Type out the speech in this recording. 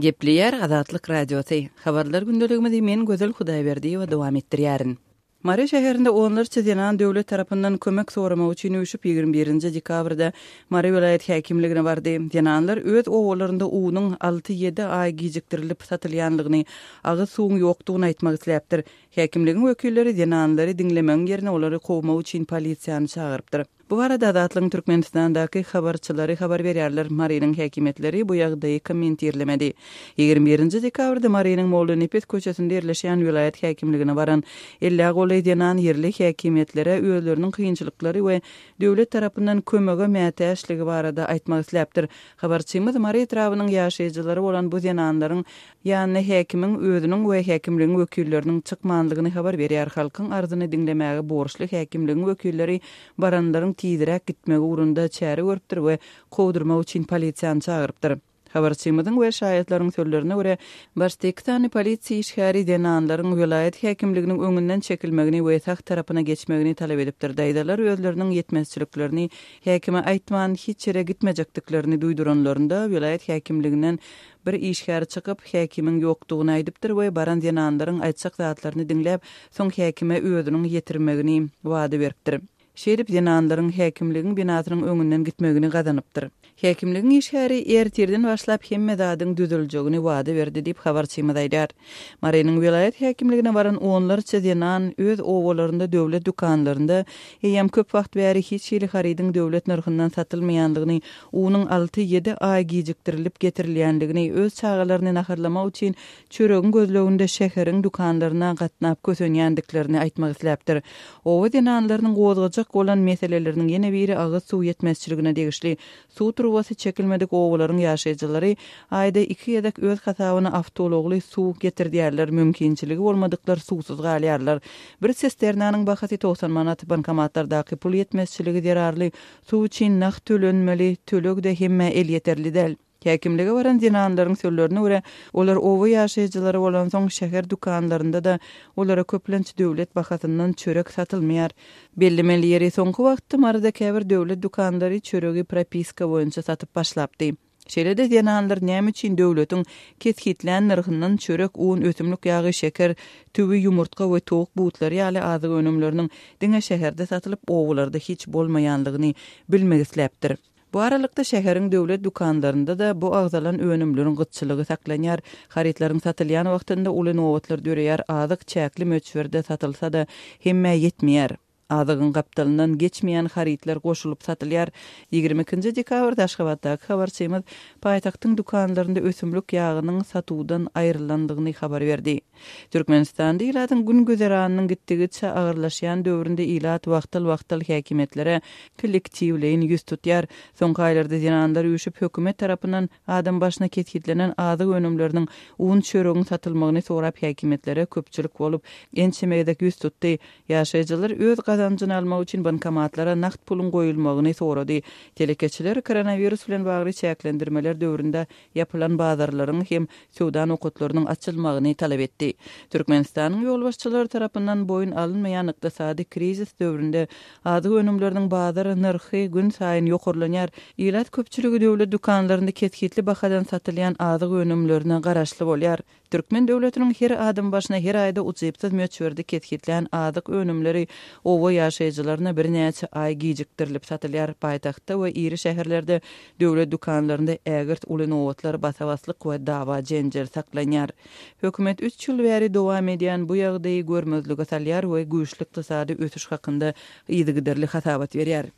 Gepleýär Azatlyk Radiosy. Habarlar gündeligimizi men Gözel Hudaýberdiýewa dowam etdirýärin. Mary şäherinde onlarça zenan döwlet tarapyndan kömek soramak üçin üýşüp, 21-nji dekabrda Mary welaýat häkimligine bardy. Zenanlar öz obalarynda unuň alty-ýedi aý gijikdirilip satylýanlygyny, agyz suwuň ýokdugyny aýtmak isläpdir. Häkimligiň wekilleri zenanlary diňlemegiň ýerine olary kowmak üçin polisiýany çagyrypdyr. Bu barada Azatlygyň Türkmenistandaky habarçylary habar berýärler. Marynyň häkimiýetleri bu ýagdaýy kommentirlemedi. 21-nji dekabrda Marynyň Mollanepes köçesinde ýerleşýän welaýat häkimligine baran ellä golaý zenan ýerli häkimiýetlere özleriniň kynçylyklary we döwlet tarapyndan kömege mätäçligi barada aýtmak isläpdir. Habarçymyz Mary etrabynyň ýaşaýjylary bolan bu zenanlaryň Ýanyna häkimiň özüniň we häkimligiň wekilleriniň çykmanlygyny habar berýär. Halkyň arzyny diňlemäge borçly häkimligiň wekilleri baranlaryň tizräk gitmegi ugrunda çäre görüpdir we kowdurmak üçin polisiýany çagyrypdyr. Habarçymyzyň we şaýatlaryň sözlerine görä, başda iki sany polisiýa işgäri zenanlaryň welaýat häkimliginiň öňünden çekilmegini we sag tarapyna geçmegini talap edipdir. Daýzalar özleriniň ýetmezçiliklerini häkime aýtman hiç ýere gitmejekdiklerini duýduranlarynda, welaýat häkimliginden Bir işgär çykyp, häkimiň ýokdugyny aýdypdyr we baran zenanlaryň aýtjak zatlaryny diňläp, soň häkime özüniň ýetirmegini wada beripdir. Şeýdip, zenanlaryň häkimligiň binasynyň öňünden gitmegini gazanypdyr. Häkimligiň işgäri ertirden başlap hemme zadyň düzüljegini wada berdi diýip, habarçymyz aýdýar. Marynyň welaýat häkimligine baran onlarça zenan öz obalarynda döwlet dükanlarynda eýýäm köp wagt bäri hiç hili harydyň döwlet nyrhyndan satylmaýandygyny, unuň alty-ýedi aý gijikdirilip getirilýändigini, öz çagalaryny naharlamak üçin çöregiň gözleginde şäheriň dükanlaryna gatnap kösenýändiklerini aýtmak isläpdir. Oba zenanlarynyň gozgajak bolan meseleleriniň ýene biri agyz suw ýetmezçiligine degişli. Suw turbasy çekilmedik obalaryň ýaşaýjylary aýda iki gezek öz hasabyna awtoulagly suw getirdýärler, mümkinçiligi bolmadyklar suwsuz galýarlar. Bir sisternanyň bahasy 90 manat, bankomatlardaky pul ýetmezçiligi zerarly suw üçin nagt tölenmeli, töleg-de hemmä elýeterli däl. Häkimlige baran zenanlaryň sözlerine görä, olar oba ýaşaýjylary bolansoň, şäher dükanlarynda-da olara köplenç döwlet bahasyndan çörek satylmaýar. Bellemeli ýeri, soňky wagtda Maryda käbir döwlet dükanlary çöregi propiska boýunça satyp başlapdy. Şeýle-de zenanlar näme üçin döwletiň kesgitlän nyrhyndan çörek, un, ösümlik ýagy, şeker, tüwi, ýumurtga we towuk butlary ýaly azyk önümleriniň diňe şäherde satylyp, obalarda hiç bolmaýanlygyny bilmek isläpdir. Bu aralykda, şäheriň döwlet dükanlarynda-da bu agzalan önümleriň gytçylygy saklanýar. Harytlaryň satylýan wagtynda uly nobatlar döreýär, azyk çäkli möçberde satylsa-da, hemmä ýetmeýär. Azygyň gapdalyndan geçmeýän harytlar goşulyp satylýar. 22-nji dekabrda Aşgabatdaky habarçymyz paýtagtyň dükanlarynda ösümlik ýagynyň satuwdan aýrylandygyny habar berdi. Türkmenistanda ilatyň gün-güzeranynyň gitdigiçe agyrlaşýan döwründe ilat wagtal-wagtal häkimiýetlere kollektiwleýin ýüz tutýar. Soňky aýlarda zenanlar üýşüp, hökümet tarapyndan adam başyna kesgitlenen azyk önümleriniň, un, çöregiň satylmagyny sorap häkimiýetlere köpçülik bolup, ençeme gezek ýüz tutdy. Ýaşaýjylar öz gazanjyny almak üçin bankomatlara nagt puluň goýulmagyny sorady. Telekeçiler koronawirus bilen bagly çäklendirmeler döwründe ýapylan bazarlaryň hem söwda nokatlarynyň açylmagyny talap etdi. Türkmenistanyň ýolbaşçylary tarapyndan boýun alynmaýan ykdysady krizis döwründe azyk önümleriniň bazar nyrhy günsaýyn ýokarlanýar. Ilat köpçüligi döwlet dükanlarynda kesgitli bahadan satylýan azyk önümlerine garaşly bolýar. Türkmen döwletiniň her adam başyna her aýda ujypsyz möçberde kesgitlän azyk önümleri oba ýaşaýjylaryna birnäçe aý gijikdirilip satylýar. Paýtagtda we iri şäherlerde döwlet dükanlarynda ägirt uly nobatlar, basa-baslyk we dawa-jenjel saklanýar. Hökümet üç ýyl bäri dowam edýän bu ýagdaýy görmezlige salýar we güýçli ykdysady ösüş hakynda yzygiderli hasabat berýär.